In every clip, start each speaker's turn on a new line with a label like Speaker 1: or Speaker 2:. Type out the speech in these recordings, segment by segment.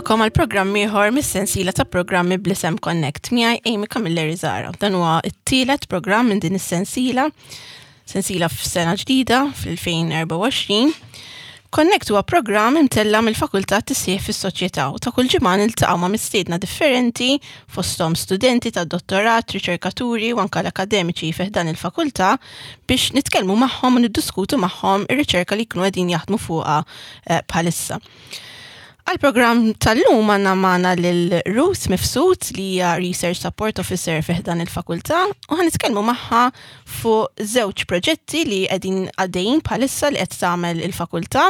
Speaker 1: Nilqakom għal programm ieħor mis-sensiela ta' programmi bl-isem Connect miegħi Amy Camilleri Zara. Dan huwa t-tielet programm minn din is-sensiela, sensiela f'sena ġdida fl-2024. Connect huwa programm imtella mill-Fakultà Tisħiħ fis-Soċjetà u ta' kull ġimgħa niltaqgħu ma' mistiedna differenti fosthom studenti ta' dottorat, riċerkaturi u anke l-akademiċi fi ħdan il-fakultà biex nitkellmu magħhom u niddiskutu magħhom ir-riċerka li jkunu qegħdin jaħdmu fuqha eh, bħalissa. Għal-programm tal-lum għanna magħna lil Ruth Mifsud li hija Research Support Officer fi ħdan il-fakultà u ħan nitkellmu magħha fuq żewġ proġetti li qegħdin għaddejjin bħalissa li qed tagħmel il-fakultà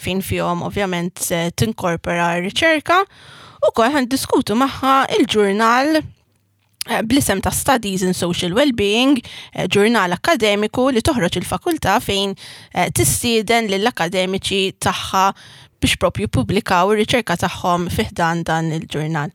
Speaker 1: fejn fihom ovvjament tinkorpora r-riċerka u kol ħan diskutu magħha il-ġurnal Eh, bl-isem ta' Studies in Social Wellbeing, eh, ġurnal akademiku li toħroġ il-fakultà fejn eh, tistieden lill-akademiċi tagħha biex propju publikaw ir-riċerka tagħhom fiħdan dan il-ġurnal.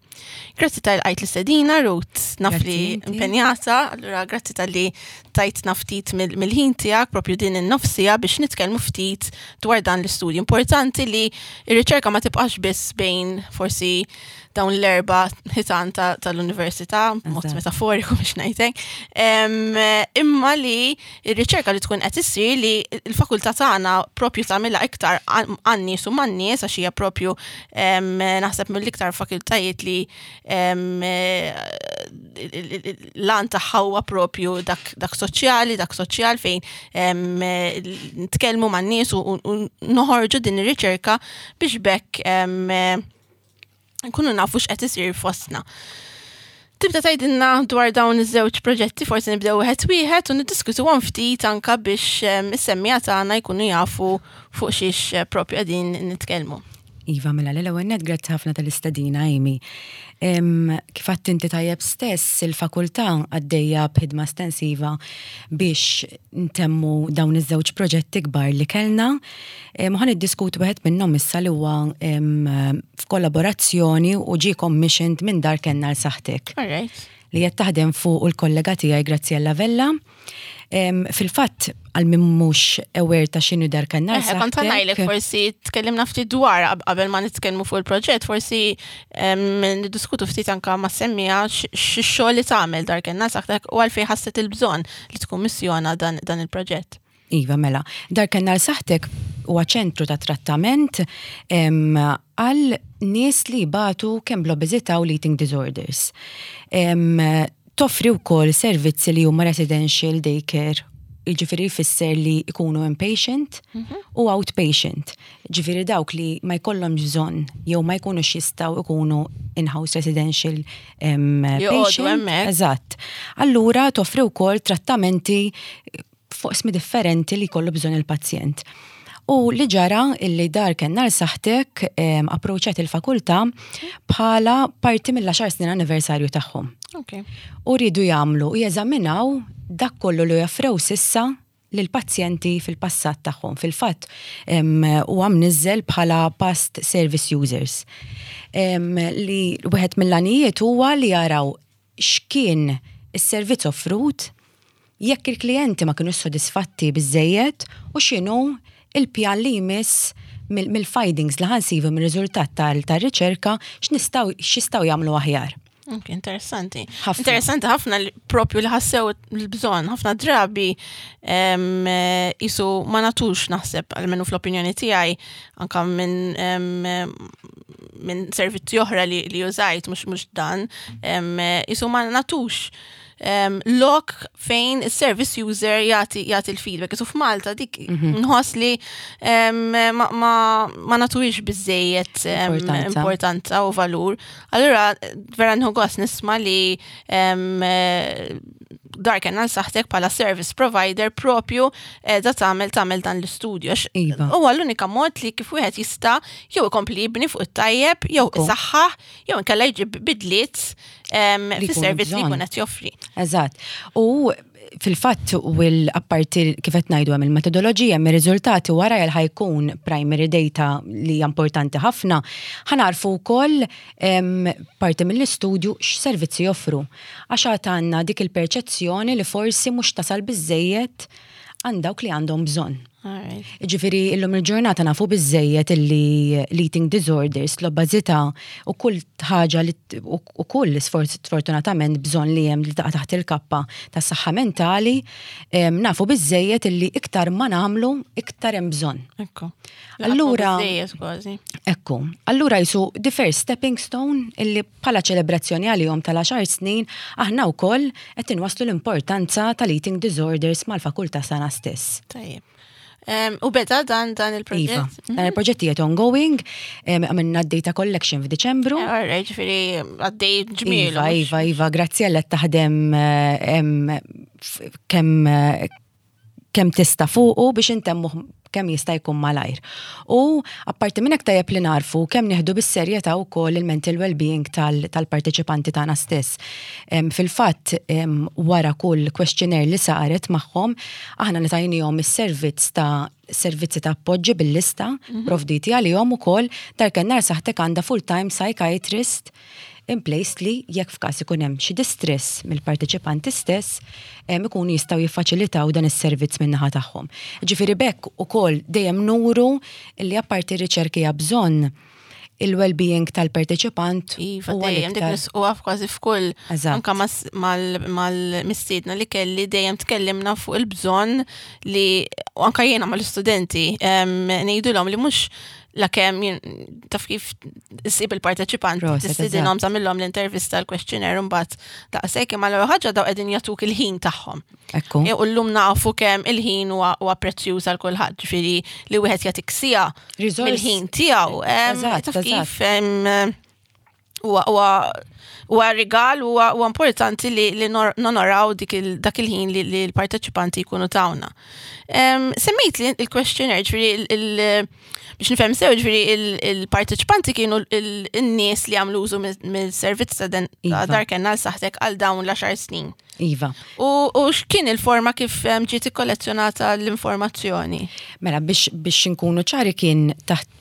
Speaker 1: Grazzi tal-għajt l-istedina, Ruth, naf li impenjata, allura grazzi tal-li tajtna ftit mill-ħin tiegħek propju din in-nofsija biex nitkellmu ftit dwar dan l-istudju. Importanti li r-riċerka ma tibqax biss bejn forsi dawn l-erba ħitan tal-università, mod metaforiku biex ngħidlek, imma li r-riċerka li tkun qed issir li l-fakultà tagħna propju tagħmilha iktar għan-nies u man-nies għax hija propju naħseb mill-iktar fakultajiet li l-għan tagħha huwa propju dak, dak soċjali, dak soċjal fejn nitkellmu man-nies u noħorġu din ir-riċerka biex bekk nkunu nafu x'qed isir fostna. Tibda tgħidilna dwar dawn iż-żewġ proġetti, forsi nibdew wieħed wieħed u niddiskutuhom ftit anka biex is-semmija tagħna jkunu jafu fuq xiex eh, propju qegħdin nitkellmu.
Speaker 2: Iva, mela l-ewwel net grazzi ħafna tal-istedina, Amy. Kif għadt inti tajjeb stess, il-fakultà għaddejja b'ħidma estensiva biex ntemmu dawn iż-żewġ proġetti kbar li kellna. Ħa niddiskutu wieħed minnhom issa li huwa f'kollaborazzjoni u ġie commissioned minn Dar Kenna għal Saħħtek. Li qed taħdem fuq il-kollega tiegħi Graziella Vella. Fil-fatt, għal min mhux aware ta' x'inhu Dar Kenna għal
Speaker 1: Saħħtek. Kont ngħidlek forsi tkellimna ftit dwar qabel ma nitkellmu fuq il-proġett, forsi niddiskutu ftit anka ma' semmija x-xogħol li tagħmel Dar Kenna għal Saħħtek u għalfejn ħasset il-bżonn li tkummissjona dan il-proġett.
Speaker 2: Iva, mela. Dar Kenna għal Saħħtek huwa ċentru ta' trattament għal nies li jbatu kemm bl-obeżità u l-eating disorders. Toffri wkoll servizzi li huma residential daycare, jiġifieri jfisser li jkunu inpatient mhm. u outpatient. Ġifieri dawk li ma jkollhomx bżonn jew ma jkunux jistgħu jkunu in-house residential patient. Eżatt. Allura toffri wkoll trattamenti f'oqsmi differenti li jkollu bżonn il-pazjent. U li ġara illi dar kenna l saħtek approċċat il-fakultà bħala parti mill-10 snin anniversarju tagħhom.
Speaker 1: Okay.
Speaker 2: U rridu jagħmlu u jeżaminaw dak kollu li joffrew sissa lill-pazjenti fil-passat tagħhom. Fil-fatt huwa mniżżel bħala past service users. Li wieħed mill-għanijiet huwa li jaraw x'kien is-servizz offrut, jekk il-klijenti ma kinux sodisfatti biżżejjed u x'inhu l-pjan li jmiss mill-findings li ħa nsibu mir-riżultat tar-riċerka x'nistgħu x'jistgħu jagħmlu aħjar.
Speaker 1: Ok, interessanti. Ħafna. Interessanti ħafna li propju li ħassew l-bżonn, ħafna drabi jisu ma natux naħseb, almenu fl-opinjoni tiegħi, anka minn minn servizzi oħra li, li użajt mhux mhux dan, jisu ma natux lok fejn il-service user jagħti jagħti l-feedback. Isu f'Malta dik mhm. nħoss li ma, ma, ma natuwix biżejjed importanza u valur. Allura vera nħu gost nisma' li dar kena saħtek pala service provider propju eh, da tagħmel tagħmel dan l-istudju. Iva. Huwa l-unika mod li kif wieħed jista' jew ikompli jibni fuq it-tajjeb, jew isaħħaħ, jew inkella jġib bidliet fis-servizz li jkun qed joffri.
Speaker 2: Eżatt. U fil-fatt u l-apparti kif qed ngħidu hemm il-metodoloġija hemm ir-riżultati wara jel ħajkun primary data li hija importanti ħafna, ħanarfu wkoll parti mill-istudju x'servizzi joffru. Għax għad għandna dik il-perċezzjoni li forsi mhux tasal biżejjed għand dawk li għandhom bżonn. Ġifieri illum il-ġurnata nafu biżejjed illi l-eating disorders, l-obażità u kull ħaġa li u kull sfortunatament bżonn li hemm li taqa' taħt il-kappa tas-saħħa mentali, nafu biżejjed illi iktar ma nagħmlu iktar hemm bżonn.
Speaker 1: Ekku.
Speaker 2: Allura Ekku. Allura jisu the first stepping stone illi bħala ċelebrazzjoni għalihom tal-għaxar snin aħna wkoll qed inwasslu l-importanza tal-eating disorders mal-fakultà sana stess.
Speaker 1: Tajjeb. U beda dan dan il-proġett?
Speaker 2: Iva, dan mhm. il-proġett jiet ongoing, għamilna data collection f'Diċembru.
Speaker 1: Eh, ġifieri għaddej ġmielu.
Speaker 2: Iva, iva, iva, grazzi għal taħdem kemm kemm tista' fuqu biex intemmuh kemm jista' jkun malajr. U apparti minn hekk tajjeb li narfu kemm nieħdu bis-serjetà wkoll il-mental well-being tal-parteċipanti tagħna stess. Fil-fatt wara kull questionnaire li saret magħhom, aħna ngħatajnihom is-servizz ta' servizzi ta' appoġġi bil-lista mhm. provditi għalihom ukoll Dar Kennar Saħtek għandha full-time psychiatrist in place li jekk f'każ ikun hemm xi distress mill-parteċipanti stess ikunu jistgħu jiffaċilitaw dan is-servizz min-naħa tagħhom. Ġifieri b'hekk ukoll dejjem nuru li apparti r-riċerki hija bżonn il-well-being tal-parteċipant.
Speaker 1: Iva, dejjem dik nisquha kważi f'kull anka mal-mistiedna li kelli dejjem tkellimna fuq il-bżonn li anka jiena mal-istudenti ngħidulhom li mhux la kemm taf kif issib il-parteċipanti, tistidinhom tagħmilhom l-intervista l-questionnaire mbagħad daqshekk imma l-ewwel ħaġa daw qegħdin jagħtuk il-ħin tagħhom.
Speaker 2: Ekku.
Speaker 1: E, u llum nafu kemm il-ħin huwa prezzjuż għal kulħadd, ġifieri li wieħed jagħtik sija mill-ħin tiegħu. Taf kif huwa rigal huwa importanti li nonoraw dak il-ħin li l-parteċipanti jkunu tawna. Semmejt li il-questionnaire, ġifieri biex nifhem sew ġifieri il-parteċipanti kienu n-nies li għamlu użu mill-servizz ta' iva. Dar Kenna għal saħtek għal dawn l-10 snin.
Speaker 2: Iva.
Speaker 1: U x'kien il-forma kif ġiet ikkollezzjonata l-informazzjoni?
Speaker 2: Mela biex nkunu ċari kien taħt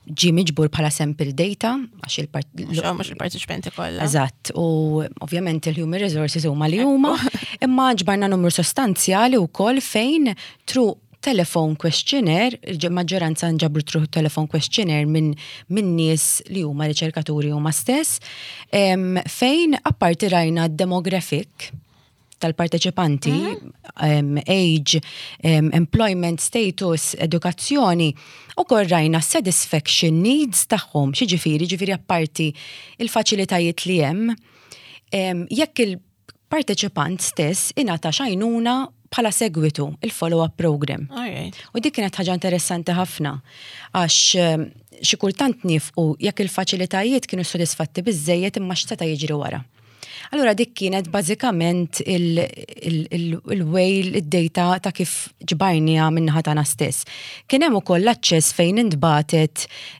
Speaker 2: ġie miġbur bħala sample data, għax
Speaker 1: il-part. Mhux il-parteċipanti kollha.
Speaker 2: Eżatt, u ovvjament il-human resources huma li huma, imma ġbarna numru sostanzjali wkoll fejn through telephone questionnaire, il-maġġoranza nġabru through telephone questionnaire minn min nies li huma riċerkaturi huma stess, fejn apparti rajna demographic tal-parteċipanti, age, employment status, edukazzjoni, u rajna satisfaction needs tagħhom, xi ġifieri apparti il-faċilitajiet li hemm, jekk il-parteċipant stess ingħata x'għajnuna bħala segwitu il-follow-up program. U dik kienet ħaġa interessanti ħafna għax xi kultant nifqu jekk il-faċilitajiet kienu sodisfatti biżejjed imma x'seta' jiġri wara. Allura dik kienet bażikament il-way id-data ta' kif ġbarniha min-naħa tagħna stess. Kien hemm ukoll l-aċċess fejn intbagħtet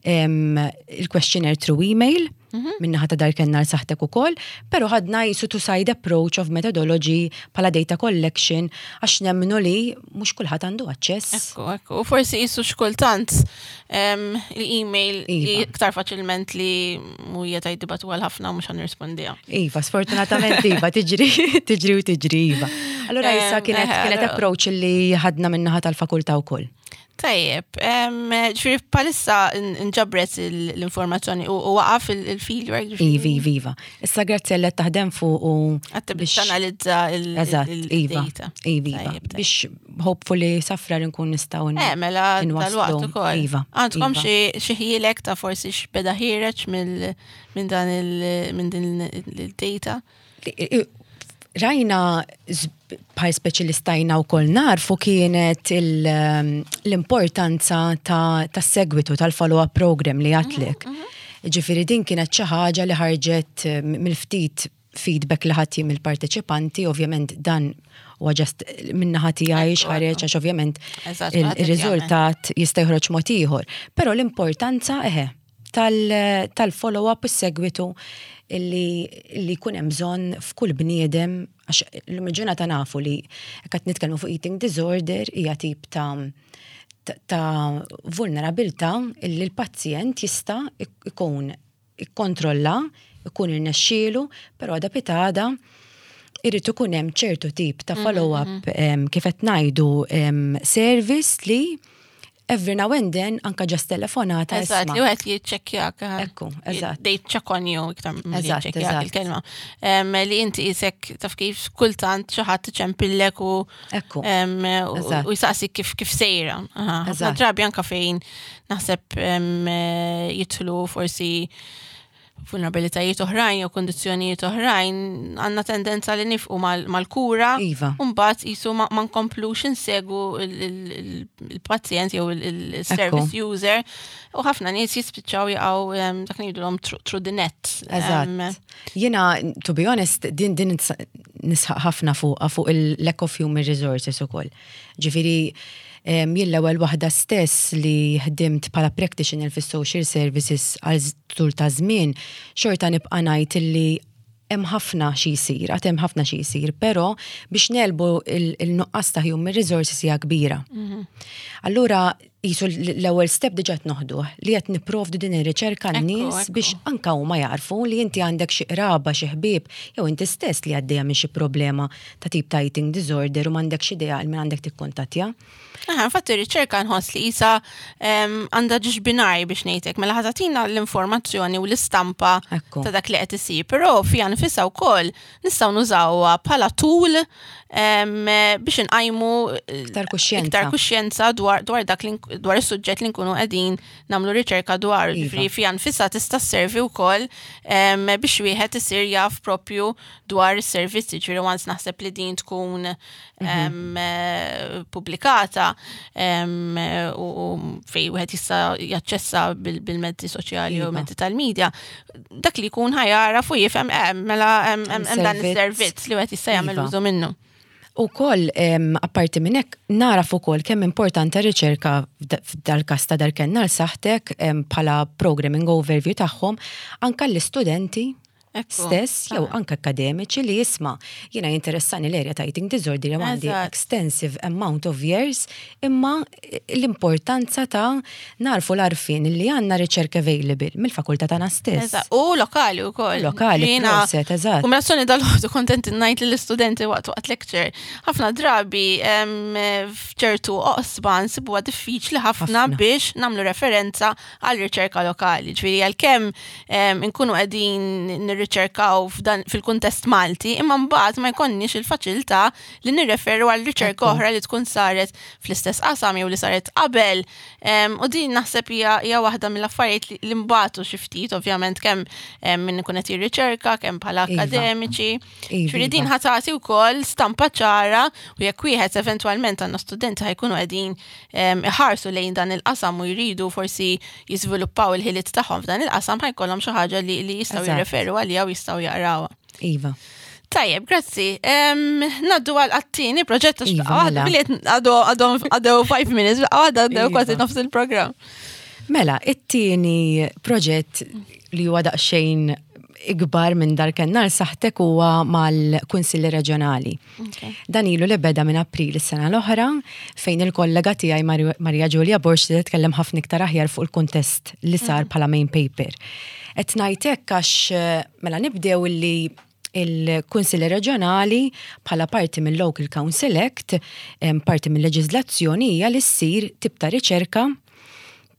Speaker 2: il-questionnaire through email min-naħa ta' Dar Kennar Saħtek ukoll, però ħadna jisu two side approach of methodology bħala data collection għax nemmnu li mhux kulħadd għandu aċċess.
Speaker 1: Ekku, ekku. U forsi jisu xkultant l-email Iva. iktar faċilment li mhux ħa jibagħtu għal ħafna u mhux ħa nirrispondiha.
Speaker 2: Iva, sfortunatament Iva, tiġri, tiġri u tiġri, Iva. Allura issa kienet approach li ħadna min-naħa tal-fakultà wkoll.
Speaker 1: Tajjeb, ġifieri bħalissa nġabret l-informazzjoni u waqaf il-fieldwork.
Speaker 2: Iva, iva, iva. Issa grazzi għal taħdem fuq u
Speaker 1: Għatt tanalizza
Speaker 2: il-data. Iva, iva. Biex hopefully sa Frar nkun nistgħu
Speaker 1: Mela dal-waqt ukoll.
Speaker 2: Iva.
Speaker 1: Għandkom xi ħjielek ta' forsi x'beda ħiereġ minn dan minn din il-data?
Speaker 2: Rajna bħal speċialistajna u koll narfu kienet l-importanza ta' segwitu tal-follow-up program li għedtlek. Ġifieri din kienet xi ħaġa li ħarġet mill-ftit feedback li ħadt mill-parteċipanti, ovvjament dan u just min-naħa tiegħi x'ħareġ għax ovvjament il-riżultat jista' joħroġ mod ieħor. Però l-importanza eħe tal-follow-up u segwitu li jkun hemm bżonn f'kull bniedem għax l ġurnata nafu li qed nitkellmu fuq eating disorder hija tip ta' vulnerabilità illi l-pazjent jista' ikun ikkontrolla, ikun irnexxielu, però għada pitgħada Irid ikun hemm ċertu tip ta' follow-up kif qed ngħidu service li every now and then anka just telefonata.
Speaker 1: Eżatt, li wieħed jiċċekkjak.
Speaker 2: Ekku, eżatt.
Speaker 1: They check on you iktar milli jiċċekkjak il-kelma. Li inti isek taf kif kultant xi ħadd iċempillek u
Speaker 2: Ekku.
Speaker 1: U jsaqsik kif sejra. Ħafna drabi anka fejn naħseb jidħlu forsi vulnerabilitajiet oħrajn jew kundizzjonijiet oħrajn, għandna tendenza li nifqu mal-kura. U mbagħad qisu ma nkomplux insegu il-pazjent jew il-service user u ħafna nies jispiċċaw jaqgħu dak ngħidulhom through the net.
Speaker 2: Eżatt. Jiena, to be honest, din nisħaq ħafna fuq il-lack of human resources ukoll. Ġifieri, jien l-ewwel waħda stess li ħdimt bħala practitioner fis-social services għal tul ta' żmien, xorta nibqa' ngħid illi hemm ħafna xi jsir, għad hemm ħafna xi jsir, però biex negħlbu il-nuqqas ta' human resources hija kbira. Allura qisu l-ewwel step diġà qed noħduh li qed nipprovdu din ir-riċerka n-nies biex anka huma jarfu li inti għandek xi qraba, xi ħbieb, jew inti stess li għaddejja minn xi problema ta' tip ta' eating disorder u m'għandekx idea għal min għandek tikkuntattja.
Speaker 1: Aha, infatti ir-riċerka nħoss li isa għandha ġiex binari biex ngħidlek, mela ħa tagħtina l-informazzjoni u l-istampa ta' dak li qed isir, però fiha nfisha wkoll nistgħu nużawha bħala tool biex inqajmu
Speaker 2: iktar kuxjenza,
Speaker 1: iktar kuxjenza dwar dak li dwar is-suġġett li nkunu qegħdin nagħmlu riċerka dwar. Ġifieri fiha nfisha tista' sservi wkoll biex wieħed isir jaf propju dwar is-servizzi, ġifieri once naħseb li din tkun pubblikata u fej wieħed jista' jaċċessa bil-mezzi soċjali u mezzi tal-medja, dak li jkun ħa jara u jifhem mela hemm dan is-servizz li wieħed jista' jagħmel użu minnu.
Speaker 2: U koll, apparti minn hekk, naraf ukoll kemm importanti riċerka f'dal-każ ta' Dar Kenn għal Saħħtek bħala programming overview tagħhom anka l-istudenti stess jew anke akademiċi li jisma' jiena jinteressani l-area ta' eating disorder jew għandi extensive amount of years imma l-importanza ta' narfu l-arfin li għandna riċerka available mill-fakultà tagħna stess.
Speaker 1: U lokali wkoll.
Speaker 2: Lokali, proset, eżatt.
Speaker 1: Kombinazzjoni dal-ħodu kontent ngħid lill-istudenti waqt lecture. Ħafna drabi f'ċertu oqsma nsibuha diffiċli ħafna biex nagħmlu referenza għal riċerka lokali. Ġifieri għalkemm inkunu qegħdin nirriċerkaw fil-kuntest Malti, imma mbagħad ma jkollniex il-faċilità li nirreferu għal riċerka oħra li tkun saret fl-istess qasam jew li saret qabel. U din naħseb hija waħda mill-affarijiet li mbagħtu xi ftit, ovvjament kemm min ikun qed jirriċerka, kemm bħala akademiċi. Ġifieri din ħa tagħti wkoll stampa ċara u jekk wieħed eventwalment għandna studenti ħa jkunu qegħdin iħarsu lejn dan il-qasam u jridu forsi jiżviluppaw il-ħiliet tagħhom f'dan il-qasam ħa jkollhom xi ħaġa li jistgħu jirreferu għaliha u jistgħu jaqrawha. Tajjeb, grazzi. Ngħaddu għal għat-tieni proġett
Speaker 2: Iva, mela.
Speaker 1: Billi għadu 5 minutes, għadha għaddew kważi nofs il-programm.
Speaker 2: Mela, it-tieni proġett li huwa daqsxejn ikbar minn Dar Kenn għal Saħħtek huwa mal-Kunsilli Reġjonali. Dan ilu li beda minn April is-sena l-oħra fejn il-kollega tiegħi Maria Giulia Borg titkellem ħafna iktar aħjar fuq il-kuntest li sar bħala main paper. Qed ngħid hekk għax mela nibdew illi il-Kunsilli Reġjonali bħala parti mill-Local Council Act, parti mill-leġiżlazzjoni hija li ssir tip ta' riċerka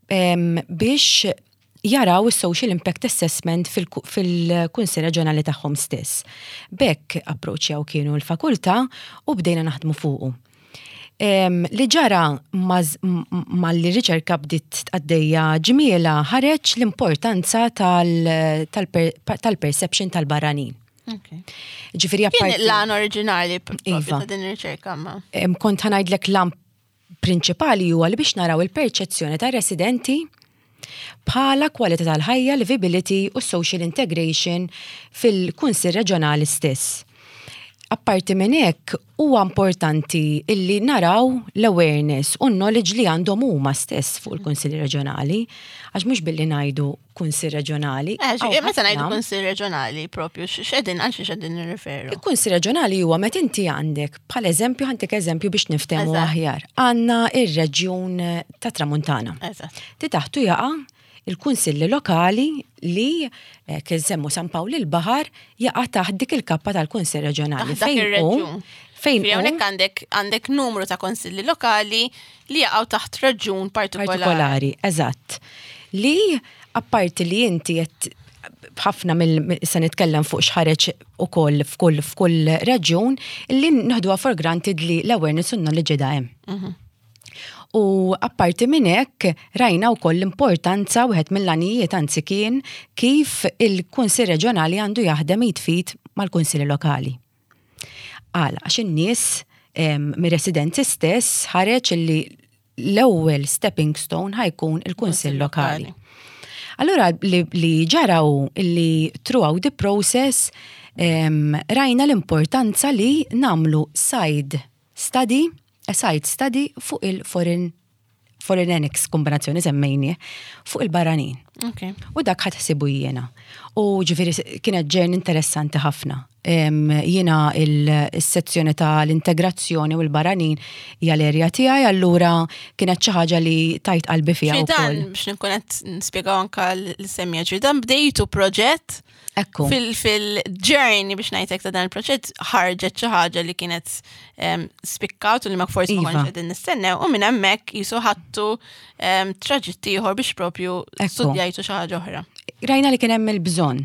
Speaker 2: biex jaraw is-social impact assessment fil-Kunsill Reġjonali tagħhom stess. B'hekk approċċjaw kienu l-fakultà u bdejna naħdmu fuqu. Li ġara malli riċerka bdiet għaddejja ġmiela ħareġ l-importanza tal-perception tal-barranin. Ġifieri
Speaker 1: Kien l-għan oriġinali ta' din ir-riċerka ma?
Speaker 2: Kont ħa ngħidlek l-għan prinċipali huwa li biex naraw il-perċezzjoni ta' residenti bħala kwalità tal-ħajja, livability u social integration fil-Kunsill Reġjonali stess. Apparti minn hekk, huwa importanti illi naraw l-awareness u knowledge li għandhom huma stess fuq il-Kunsilli Reġjonali, għax mhux billi ngħidu Kunsill Reġjonali.
Speaker 1: Meta ngħidu Kunsill Reġjonali propju, x'qegħdin għal xi x'qegħdin nirreferu?
Speaker 2: Il-Kunsill Reġjonali huwa meta inti għandek, bħal eżempju, ħa ntik eżempju biex niftehmu aħjar. Għandna ir-reġjun ta' Tramuntana. Ti taħtu jaqa' il-kunsilli lokali li eh, kien semmu San Pawl il-Baħar jaqa' taħt dik il-kappa tal-Kunsill Reġjonali.
Speaker 1: Taħt dak ir-reġjun.
Speaker 2: Fejn
Speaker 1: hawnhekk għandek għandek numru ta' konsilli lokali li jaqgħu taħt reġjun partikolari.
Speaker 2: Partikolari, eżatt. Li apparti li inti qed ħafna mill se nitkellem fuq x'ħareġ ukoll f'kull f'kull reġjun li naħduha for granted li l-awareness u knowledge qiegħda hemm. U apparti minn hekk rajna wkoll l-importanza wieħed mill-għanijiet anzi kien kif il-Kunsill Reġjonali għandu jaħdem id f'id mal-Kunsilli Lokali. Għala, għax in-nies mir-residenzi stess ħareġ illi l-ewwel stepping stone ħa jkun il-Kunsill Lokali. Allura li ġara hu illi throughout the process rajna l-importanza li nagħmlu side study, a side study fuq il-foreign foreign annex kombinazzjoni semmejni fuq il-barranin. U dak ħadt ħsiebu jiena. U ġifieri kienet journey interessanti ħafna. Jiena il-sezzjoni tal-integrazzjoni u l-barranin hija l-area tiegħi, allura kienet xi ħaġa li tajt qalbi fiha
Speaker 1: Dan biex nkun qed nispjegaw anka l-semmija ġifieri dan bdejtu proġett Fil-journey biex ngħidlek ta' dan il-proġett ħarġet xi ħaġa li kienet spikkat u li ma forsi ma kontx qegħdin nistennew u minn hemmhekk jisu ħadtu traġitt ieħor biex propju studjajtu xi ħaġa oħra.
Speaker 2: Rajna li kien hemm il-bżonn.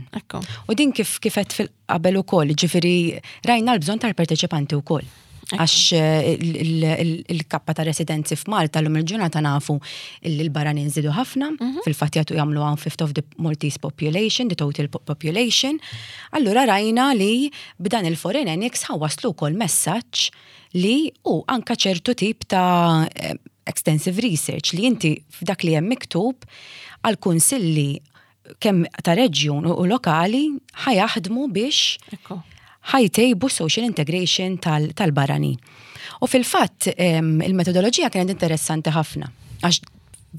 Speaker 2: U din kif kifet fil-qabel ukoll, ġifieri rajna l-bżonn tal-parteċipanti wkoll. Għax eh, il-kappa ta' residenzi f'Malta l-lum il-ġurnata nafu li l-barranin żdiedu ħafna, fil-fatt jagħtu jagħmlu one fifth of the Maltese population, the total population. Allura rajna li b'dan il-Foreign Annex ħa waslu wkoll messaġġ li u anka ċertu tip ta' extensive research li inti f'dak li hemm miktub għal kunsilli kemm ta' reġjun u lokali ħa jaħdmu biex ħa jtejbu social integration tal-barranin. U fil-fatt il-metodoloġija kienet interessanti ħafna. Għax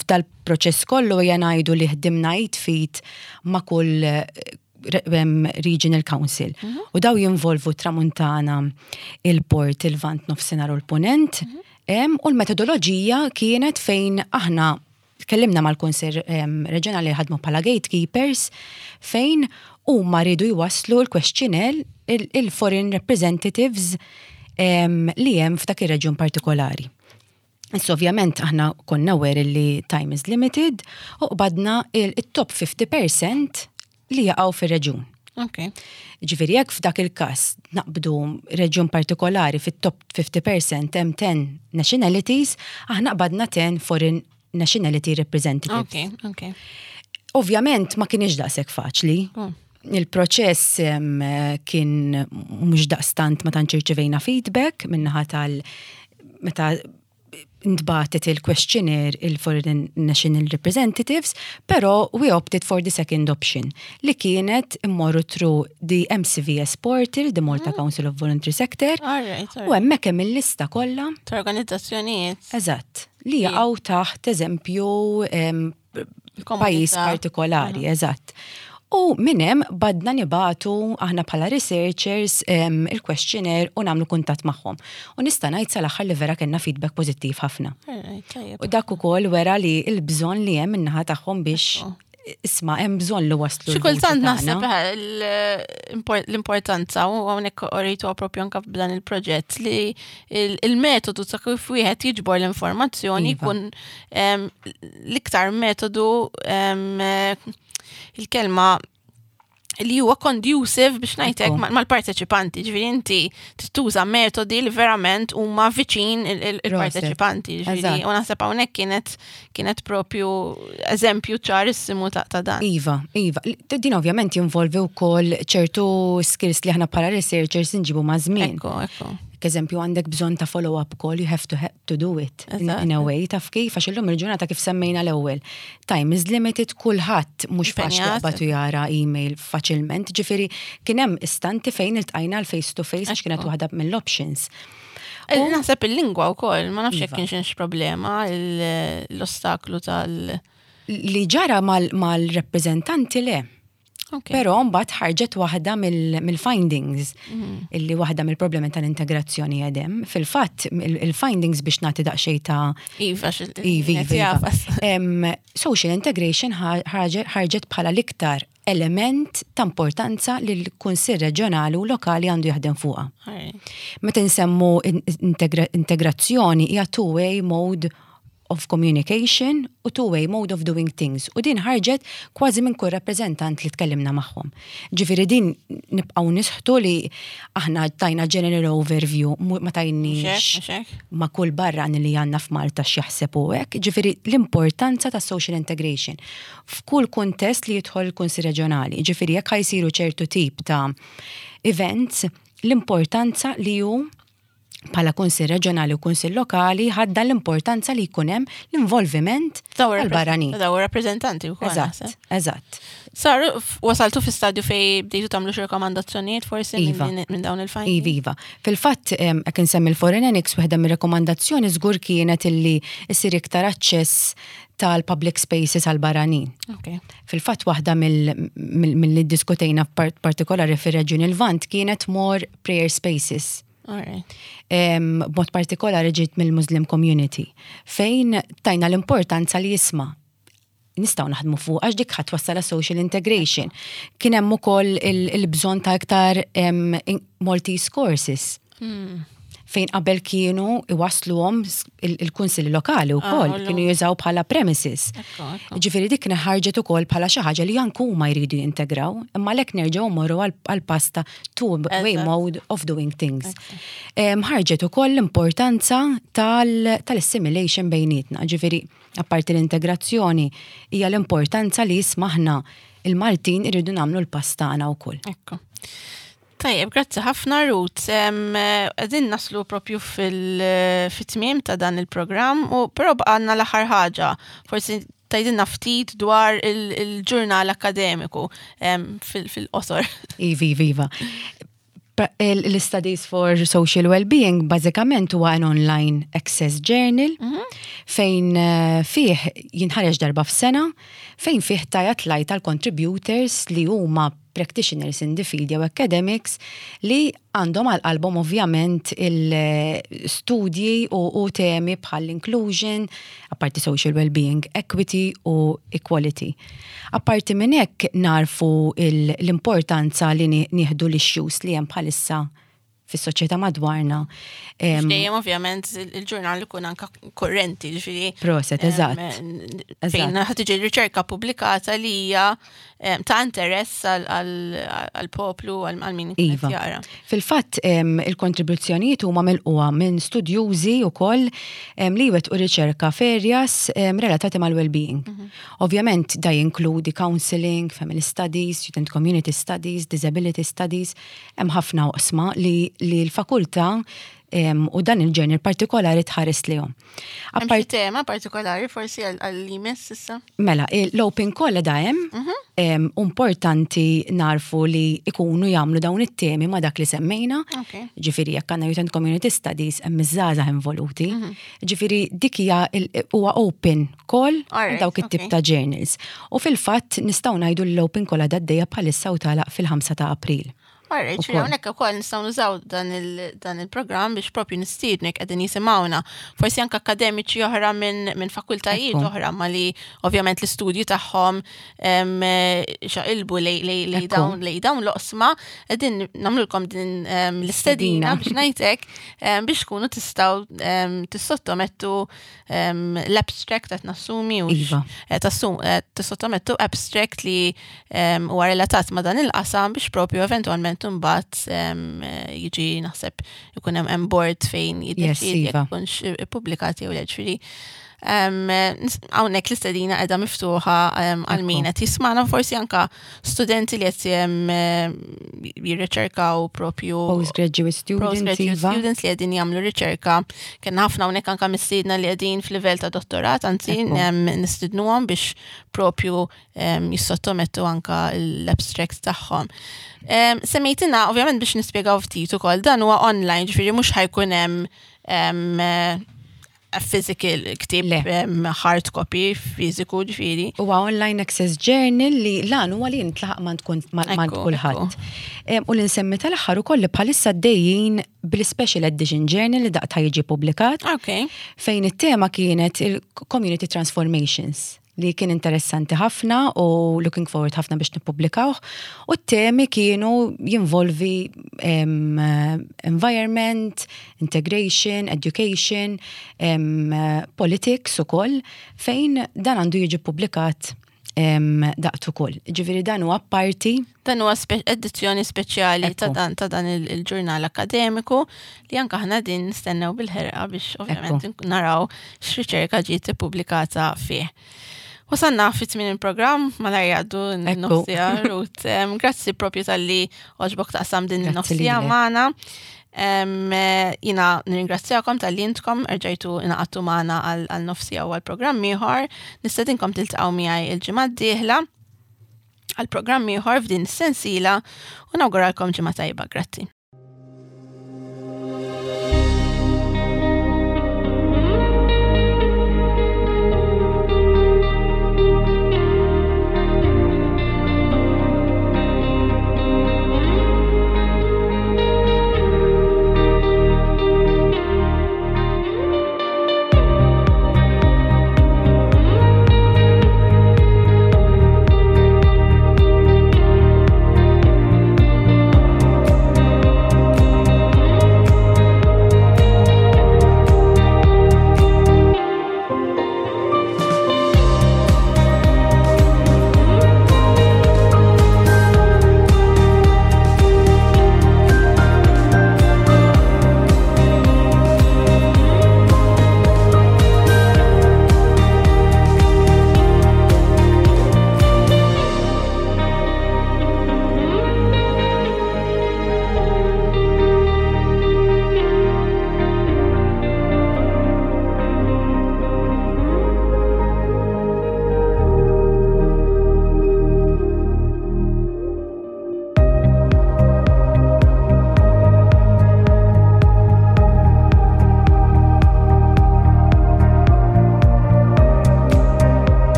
Speaker 2: f'dal-proċess kollu hija ngħidu li ħdimna id f'id ma' kull regional council. U daw jinvolvu Tramuntana, il-Port, il-Lvant, Nofsinhar u l-Punent. U l-metodoloġija kienet fejn aħna tkellimna mal-Kunsill Reġjonali li ħadmu bħala gatekeepers fejn huma rridu jwasslu l-questionnaire il-foreign representatives li hemm f'dak ir-reġjun partikolari. Issa ovvjament aħna konna aware li time is limited u qbadna il-top 50% li jaqgħu fir-reġjun. Ġifieri jekk f'dak il-każ naqbdu reġjun partikolari fit-top 50% hemm 10 nationalities, aħna qbadna 10 foreign nationality representatives. Ovvjament ma kienx daqshekk faċli. Il-proċess kien mhux daqstant ma tantx irċivejna feedback minnaħa tal meta ntbagħtet il-questionnaire il-Foreign National Representatives, pero we opted for the second option li kienet immorru through the MCVS portal, the Malta Council of Voluntary Sector, u hemmhekk hemm il-lista kollha.
Speaker 1: Ta' organizzazzjonijiet.
Speaker 2: Eżatt, li jaqgħu taħt eżempju pajjiż partikolari, eżatt. U minn hemm bdejna nibagħtu aħna bħala researchers il-questionnaire u nagħmlu kuntatt magħhom. U nista' ngħid sal-aħħar li vera kellna feedback pożittiv ħafna. U dak ukoll wera li l-bżonn li hemm min-naħa tagħhom biex isma' hemm bżonn li waslu.
Speaker 1: Xi kultant naħseb l-importanza u hawnhekk urejtu propju anke b'dan il-proġett li il-metodu ta' kif wieħed jiġbor l-informazzjoni jkun l-iktar metodu, il-kelma li huwa conducive biex ngħidlek mal-parteċipanti, ġifieri inti tuża metodi li verament huma viċin il-parteċipanti, ġifieri u naħseb hawnhekk kienet propju eżempju ċarissimu ta' dan.
Speaker 2: Iva, iva. Din ovvjament jinvolvi wkoll ċertu skills li aħna bħala researchers nġibu ma' żmien.
Speaker 1: Ekku, ekku.
Speaker 2: Eżempju, għandek bżonn ta' follow-up call, you have to do it in a way, taf kif, għax illum il-ġurnata kif semmejna l-ewwel. Time is limited, kulħadd mhux faċli jaqbad u jara email faċilment, ġifieri kien hemm istanti fejn iltqajna l-face to face għax kienet waħda mill-options.
Speaker 1: Naħseb il-lingwa wkoll, ma nafx jekk kienx problema l-ostaklu tal-
Speaker 2: Li ġara mal-rappreżentanti le. Però mbagħad ħarġet waħda mill-findings illi waħda mill-problemi tal-integrazzjoni għedem. Fil-fatt il-findings biex nagħti daqsxejn ta'
Speaker 1: Iva,
Speaker 2: Iva, iva, iva. Social integration ħarġet bħala l-iktar element ta' importanza li l-Kunsill Reġjonali u Lokali għandu jaħdem fuqha. Meta nsemmu integrazzjoni hija two-way mode of communication u two-way mode of doing things. U din ħarġet kważi minn kull rappreżentant li tkellimna magħhom. Ġifieri din nibqgħu nisħtu li aħna tajna general overview, ma tajniex ma kull barrani li għandna f'Malta x'jaħseb u hekk. Ġifieri l-importanza ta' social integration f'kull kuntest li jidħol il-Kunsill Reġjonali. Ġifieri jekk ħa jsiru ċertu tip ta' events, l-importanza li hu bħala Kunsill Reġjonali u Kunsill Lokali ħadda l-importanza li jkun hemm l-involviment tal-barranin.
Speaker 1: Daw rappreżentanti wkoll.
Speaker 2: Eżatt.
Speaker 1: Saru, wasaltu fi stadju fej bdejtu tagħmlu xi rakkomandazzjonijiet forsi
Speaker 2: Iva.
Speaker 1: minn dawn il-findings?
Speaker 2: Iva, iva. Fil-fatt, jekk insemmi l-Foreign Annex, waħda mir-rekomandazzjoni żgur kienet illi issir iktar aċċess tal-public spaces għal-barranin. Fil-fatt waħda mill-li diskutejna partikolari fir-Reġjun il-Lvant kienet more prayer spaces. B'mod partikolari ġiet mill-Muslim community, fejn tajna l-importanza li jisma' nistgħu naħdmu fuq għax dik ħadd twassal social integration. Kien hemm ukoll il-bżonn ta' iktar Maltese courses. Fejn qabel kienu iwasluhom il-kunsilli lokali wkoll, kienu jużaw bħala premises.
Speaker 1: Ekku.
Speaker 2: Ġifieri dik ħarġet ukoll bħala xi ħaġa li anke huma jridu jintegraw, imma lek nerġgħu mmorru għal pass ta' two-way mode of doing things. Ħarġet ukoll l-importanza tal-assimilation bejnietna, ġifieri apparti l-integrazzjoni hija l-importanza li jismaħna il-Maltin irridu nagħmlu l-pass tagħna wkoll.
Speaker 1: Ekku. Tajjeb, grazzi ħafna Ruth. Qegħdin naslu propju fit-tmiem ta' dan il-programm, u però baqgħalna l-aħħar ħaġa. Forsi tgħidilna ftit dwar il-ġurnal akkademiku fil-qosor.
Speaker 2: Iva, iva, iva. L-Studies for Social Wellbeing bażikament huwa an online access journal fejn fih jinħareġ darba f'sena, fejn fih tajat lajt tal-contributors li huma practitioners in the field jew academics li għandhom għal qalbhom ovvjament il-studji u temi bħal inclusion, apparti social well-being, equity u equality. Apparti minn hekk narfu l-importanza li nieħdu l-issues li hemm bħalissa fis-soċjetà madwarna.
Speaker 1: Dejjem ovvjament il-ġurnal ikun anka korrenti, ġifieri.
Speaker 2: Proset, eżatt.
Speaker 1: Fejn ħa tiġi riċerka pubblikata li hija ta' interess għal-poplu, għal min ikun qed jara.
Speaker 2: Fil-fatt, il-kontribuzzjonijiet huma milquha minn studjużi wkoll li wettqu riċerka f'areas relatati mal-well-being. Ovvjament da jinkludi counseling, family studies, student community studies, disability studies, hemm ħafna oqsma li l-fakultà u dan il-ġurnal partikolari tħares lihom.
Speaker 1: Hemm xi tema partikolari forsi għal-jmiss issa?
Speaker 2: Mela, l-open call da hemm, importanti narfu li ikunu jagħmlu dawn it-temi ma' dak li semmejna. Ġifieri jekk għandna Youth and Community Studies hemm iż-żgħażagħ involuti. Ġifieri dik hija huwa open call dawk it-tip ta' journals. U fil-fatt nistgħu ngħidu l-open call għadha għaddejja bħalissa u tagħlaq fil-5 ta' April.
Speaker 1: Alright, ġifieri hawnhekk ukoll nistgħu nużaw dan il-programm biex propju nistiednek qegħdin jisimgħuna. Forsi anke akademiċi oħra minn fakultajiet oħra ma li ovvjament l-istudji tagħhom xaqilbu lej dawn l-oqsma, qegħdin nagħmlulkom din l-istedina biex ngħidlek biex tkunu tistgħu tissottomettu l-abstract qed nassumi u tissottomettu abstract li huwa relatat ma' dan il-qasam biex propju eventwalment imbagħad jiġi naħseb ikun hemm board fejn jiddeċiedi jekk ikunx ippubblikati jew le, ġifieri. Hawnhekk l-istedina qiegħda miftuħa għal min qed jismagħna, forsi anka studenti li qed jirriċerkaw propju
Speaker 2: Postgraduate students,
Speaker 1: postgraduate students li qegħdin jagħmlu riċerka. Kellna ħafna hawnhekk anka mistiedna li qegħdin f'livell ta' dottorat, anzi, nistidnuhom biex propju jissottomettu anka l-abstracts tagħhom. Semmejtina, ovvjament biex nispjegaw ftit ukoll, dan huwa online, ġifieri mhux ħa jkun hemm. a physical ktieb hard copy fiżiku ġifieri.
Speaker 2: Huwa online access journal li lan huwa li jintlaħaq ma tkun ma kulħadd. U li nsemmi tal-aħħar ukoll li bħalissa dejjin bil-special edition journal li daqta jiġi publikat. Fejn it-tema kienet il-community transformations li kien interessanti ħafna u looking forward ħafna biex nippubblikawh. U t-temi kienu jinvolvi environment, integration, education, politics ukoll, fejn dan għandu jiġi publikat daqt ukoll. Ġifieri dan huwa parti.
Speaker 1: Dan huwa edizzjoni speċjali ta' dan ta' dan il-ġurnal akademiku li anke aħna din nistennew bil-ħerqa biex ovvjament naraw x'riċerka ġiet ippubblikata fih. Wasanna fi tmien il-programm, malajr jgħaddu n-nofsija, Ruth. Grazzi propju tal-li għoġbok taqsam din n-nofsija magħna. Jina nirringrazzjakom tal-li intkom erġajtu inaqattu magħna għal nofsija u għal programm ieħor. Nistedinkom tiltaqgħu miegħi il-ġimgħa d-dieħla għal programm ieħor f'din is-sensiela u nawguralkom ġimgħa tajba. Grazzi.